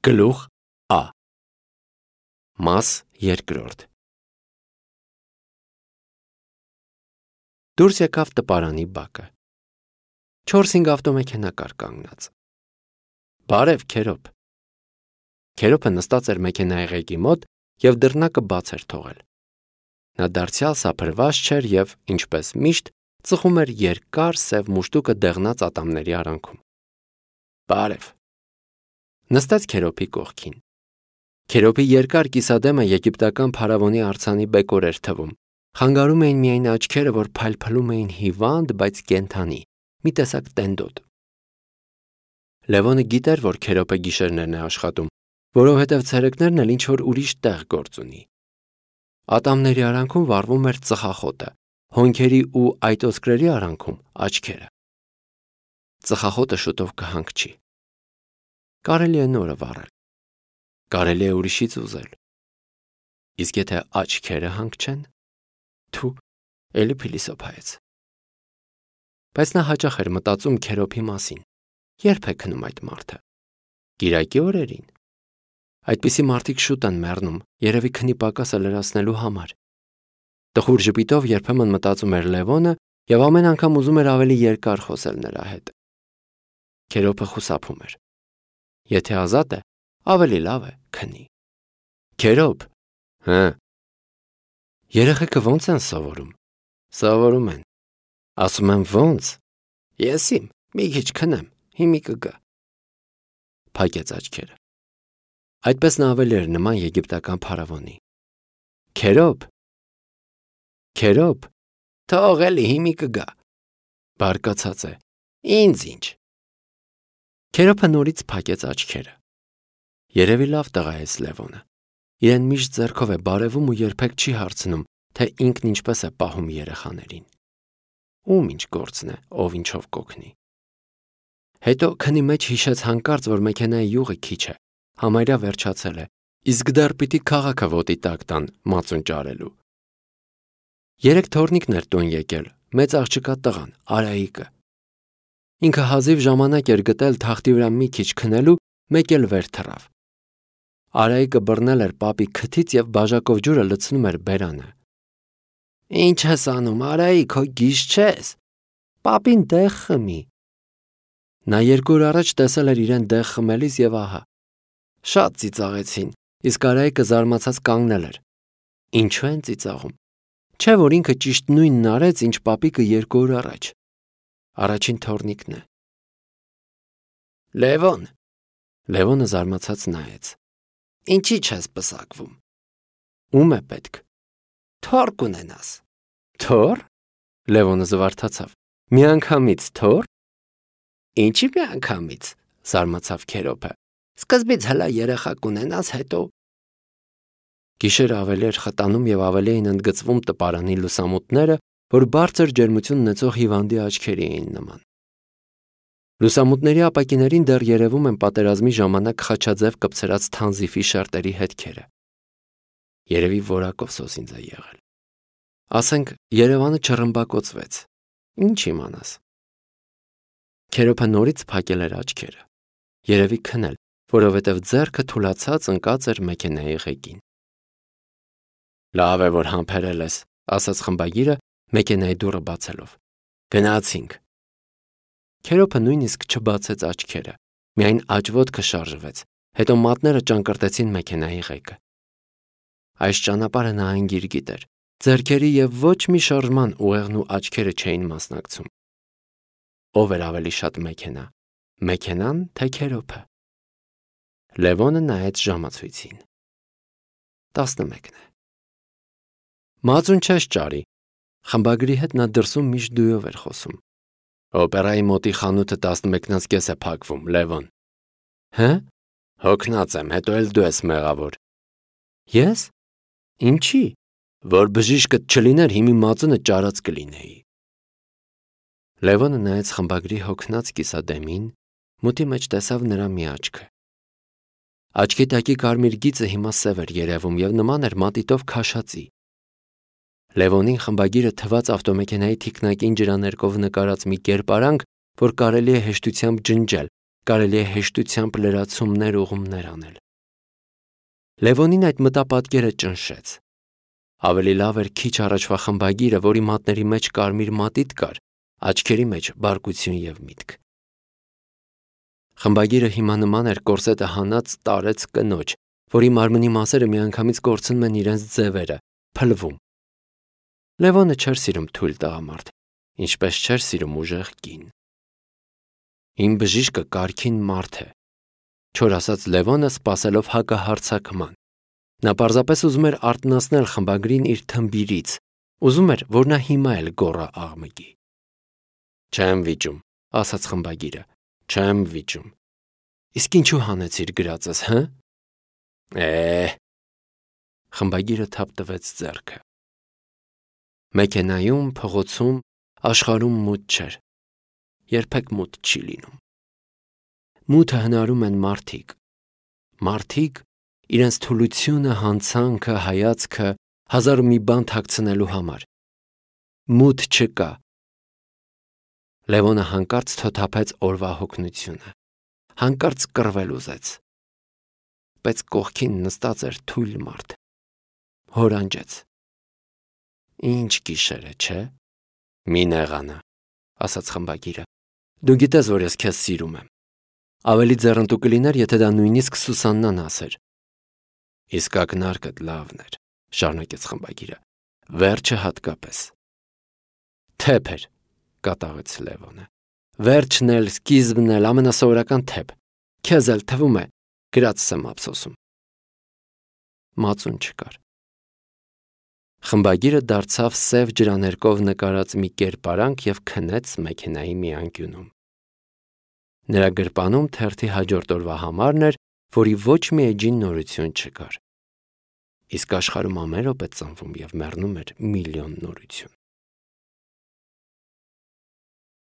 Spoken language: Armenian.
Գլուխ Ա Մաս երկրորդ Դուրս եկավ տպարանի բակը։ 4-5 ավտոմեքենա կար կանգնած։ Բարև, Քերոբ։ Քերոբը նստած էր մեքենայի ղեկի մոտ և դռնակը բաց էր թողել։ Նա դարձյալ սափրված չէր և, ինչպես միշտ, ծխում էր երկար սև մուշտուկը դեղնած ատամների արանքում։ Բարև։ Նստեց Քերոբի կողքին։ Քերոբի երկար կիսադեմը եգիպտական փարավոնի արձանի բեկոր էր թվում։ Խանգարում էին միայն աչքերը, որ փայլփլում էին հիվանդ, բայց կենդանի, մի տեսակ տենդոտ։ Լևոնը գիտեր, որ Քերոբը գիշերներն է աշխատում, որովհետև ցերեկներն էլ ինչ-որ ուրիշ տեղ գործ ունի։ Ատամների արանքում վառվում էր ծխախոտը, հոնքերի ու այտոսկրերի արանքում աչքերը։ Ծխախոտը շուտով կհանգչի։ Կարելի է նորը վառել։ Կարելի է ուրիշից ուզել։ Իսկ եթե աչքերը հանգչեն, թու, էլի փիլիսոփայեց։ Բայց նա հաճախ էր մտածում Քերոբի մասին։ Երբ է քնում այդ մարդը։ Կիրակի օրերին։ Այդպիսի մարդիկ շուտ են մեռնում, երևի քնի պակասը լրացնելու համար։ Տխուր ժպիտով երբեմն մտածում էր Լևոնը և ամեն անգամ ուզում էր ավելի երկար խոսել նրա հետ։ Քերոբը խուսափում էր։ Եթե ազատ է, ավելի լավ է քնի։ Քերոբ։ Հը։ Երեխեքը ո՞նց են սովորում։ Սովորում են։ Ասում եմ ո՞նց։ Ես իմ, մի քիչ քնեմ, հիմի կգա։ Փակեց աչքերը։ Այդպես նա ավելի էր նման եգիպտական փարավոնի։ Քերոբ։ Քերոբ։ Թող էլի հիմի կգա։ Բարկացած է։ Ինձ ինչ։ Քերոբը նորից փակեց աչքերը։ Երևի լավ տղա է Լևոնը։ Իրեն միշտ ձեռքով է բարևում ու երբեք չի հարցնում, թե ինքն ինչպես է պահում երեխաներին։ Ում ինչ գործն է, ով ինչով կօգնի։ Հետո քնի մեջ հիշեց հանկարծ, որ մեքենայի յուղը քիչ է, համարյա վերջացել է, իսկ դեռ պիտի քաղաքը ոտի տակ տան մածուն ճարելու։ 3 թոռնիկն էր տուն եկել, մեծ աղջկա տղան, Արայիկը։ Ինքը հազիվ ժամանակ էր գտել թախտի վրա մի քիչ քնելու, մեկ էլ վեր թռավ։ Արայիկը բռնել էր պապի քթից և բաժակով ջուրը լցնում էր բերանը։ Ինչ ես անում, Արայիկ, հո գիժ չես։ Պապին դեղ խմի։ Նա 2 օր առաջ տեսել էր իրեն դեղ խմելիս և ահա։ Շատ ծիծաղեցին, իսկ Արայիկը զարմացած կանգնել էր։ Ինչու են ծիծաղում։ Չէ՞ որ ինքը ճիշտ նույնն արեց, ինչ պապիկը 2 օր առաջ։ Առաջին թոռնիկն է։ Լևոն։ Լևոնը զարմացած նայեց։ Ինչի՞ չես պսակվում։ Ում է պետք։ Թոռ կունենաս։ Թոռ։ Լևոնը զվարթացավ։ Միանգամից թոռ։ Ինչի՞ միանգամից, զարմացավ Քերոբը։ Սկզբից հլա երեխա կունենաս, հետո։ Գիշերը ավելի էր խտանում և ավելի էին ընդգծվում տպարանի լուսամուտները, որ բարձր ջերմություն ունեցող հիվանդի աչքերի էին նման։ Լուսամուտների ապակիներին դեռ երևում են պատերազմի ժամանակ խաչաձև կպցրած թանզիֆի շերտերի հետքերը։ Երևի որակով սոսինձ է եղել։ Ասենք, Երևանը չռմբակոծվեց։ Ինչ իմանաս։ Քերոբը նորից փակել էր աչքերը։ Երևի քնել, որովհետև ձեռքը թուլացած ընկած էր մեքենայի ղեկին։ Լավ է, որ համբերել ես, ասաց խմբագիրը մեքենայի դուռը բացելով։ Գնացինք։ Քերոբը նույնիսկ չբացեց աչքերը, միայն աջոտքը շարժվեց, հետո մատները ճանկռտեցին մեքենայի ղեկը։ Այս ճանապարհը նա անգիր գիտեր, ձեռքերի և ոչ մի շարժման ուղեղն ու աչքերը չէին մասնակցում։ Ով էր ավելի շատ մեքենա, մեքենան, թե Քերոբը։ Լևոնը նայեց ժամացույցին։ 11 է։ Մածուն չես ճարի։ Խմբագրի հետ նա դրսում միշտ դույով էր խոսում։ Օպերայի մոտի խանութը 11:30 է փակվում, Լևոն։ Հը՞։ Հոգնած եմ, հետո էլ դու ես մեղավոր։ Ես։ Ինչի։ Որ բժիշկդ չլիներ, հիմի մածունը ճարած կլինեի։ Լևոնը նայեց խմբագրի հոգնած կիսադեմին, մութի մեջ տեսավ նրա մի աչքը։ Աչքի տակի կարմիր գիծը հիմա սև էր երևում և նման էր մատիտով քաշածի։ Լևոնին խմբագիրը թվաց ավտոմեքենայի թիկնակին ջրաներկով նկարած մի կերպարանք, որ կարելի է հեշտությամբ ջնջել, կարելի է հեշտությամբ լրացումներ ուղումներ անել։ Լևոնին այդ մտապատկերը ճնշեց։ Ավելի լավ էր քիչ առաջվա խմբագիրը, որի մատների մեջ կարմիր մատիտ կար, աչքերի մեջ բարկություն եւ միտք։ Խմբագիրը հիմա նման էր կորսետը հանած տարեց կնոջ, որի մարմնի մասերը միանգամից կորցնում են իրենց ձևերը, փլվում։ Լևոնը չէր սիրում թույլ տղամարդ, ինչպես չէր սիրում ուժեղ կին։ Իմ բժիշկը կարգին մարդ է, չոր ասաց Լևոնը, սպասելով հակահարձակման։ Նա պարզապես ուզում էր արթնացնել խմբագրին իր թմբիրից, ուզում էր, որ նա հիմա էլ գոռա աղմկի։ Չեմ վիճում, ասաց խմբագիրը, չեմ վիճում։ Իսկ ինչու հանեցիր գրածս, հը։ Խմբագիրը թափ տվեց ձեռքը։ Մեքենայում, փողոցում, աշխարհում մութ չէր։ Երբեք մութ չի լինում։ Մութը հնարում են մարդիկ։ Մարդիկ իրենց թուլությունը, հանցանքը, հայացքը, հազար ու մի բան թաքցնելու համար։ Մութ չկա։ Լևոնը հանկարծ թոթափեց օրվա հոգնությունը։ Հանկարծ կռվել ուզեց։ Բայց կողքին նստած էր թույլ մարդ։ Հորանջեց։ Ինչ գիշեր է, չէ։ Մի նեղանա, ասաց խմբագիրը։ Դու գիտես, որ ես քեզ սիրում եմ։ Ավելի ձեռնտու կլիներ, եթե դա նույնիսկ Սուսաննան ասեր։ Իսկ ակնարկդ լավն էր, շարունակեց խմբագիրը։ Վերջը հատկապես։ Թեփ էր, կատաղեց Լևոնը։ Վերջն էլ, սկիզբն էլ ամենասովորական թեփ։ Քեզ էլ թվում է, գրածս եմ ափսոսում։ Մածուն չկար։ Խմբագիրը դարձավ սև ջրաներկով նկարած մի կերպարանք եւ քնեց մեքենայի մի անկյունում։ Նրա գրպանում թերթի հաջորդ օրվա համարն էր, որի ոչ մի էջին նորություն չկար։ Իսկ աշխարհում ամեն րոպե ծնվում եւ մեռնում էր միլիոն նորություն։